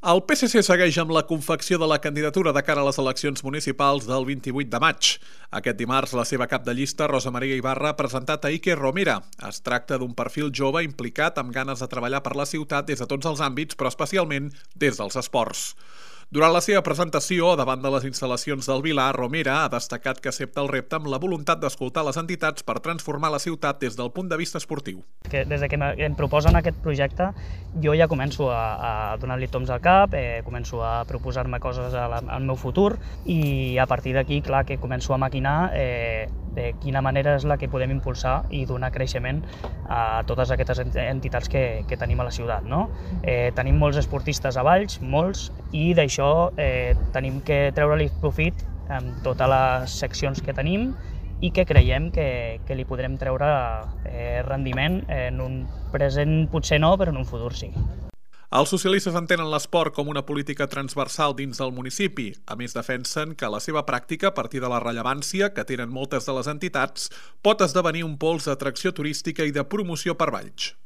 El PSC segueix amb la confecció de la candidatura de cara a les eleccions municipals del 28 de maig. Aquest dimarts, la seva cap de llista, Rosa Maria Ibarra, ha presentat a Iker Romera. Es tracta d'un perfil jove implicat amb ganes de treballar per la ciutat des de tots els àmbits, però especialment des dels esports. Durant la seva presentació, davant de les instal·lacions del Vilar, Romera ha destacat que accepta el repte amb la voluntat d'escoltar les entitats per transformar la ciutat des del punt de vista esportiu. Des que em proposen aquest projecte, jo ja començo a donar-li toms al cap, començo a proposar-me coses al meu futur i a partir d'aquí, clar, que començo a maquinar de quina manera és la que podem impulsar i donar creixement a totes aquestes entitats que tenim a la ciutat, no? Tenim molts esportistes a Valls, molts, i d'això tenim que treure-li profit amb totes les seccions que tenim i que creiem que li podrem treure rendiment en un present potser no, però en un futur sí. Els socialistes entenen l'esport com una política transversal dins del municipi. A més, defensen que la seva pràctica, a partir de la rellevància que tenen moltes de les entitats, pot esdevenir un pols d'atracció turística i de promoció per Valls.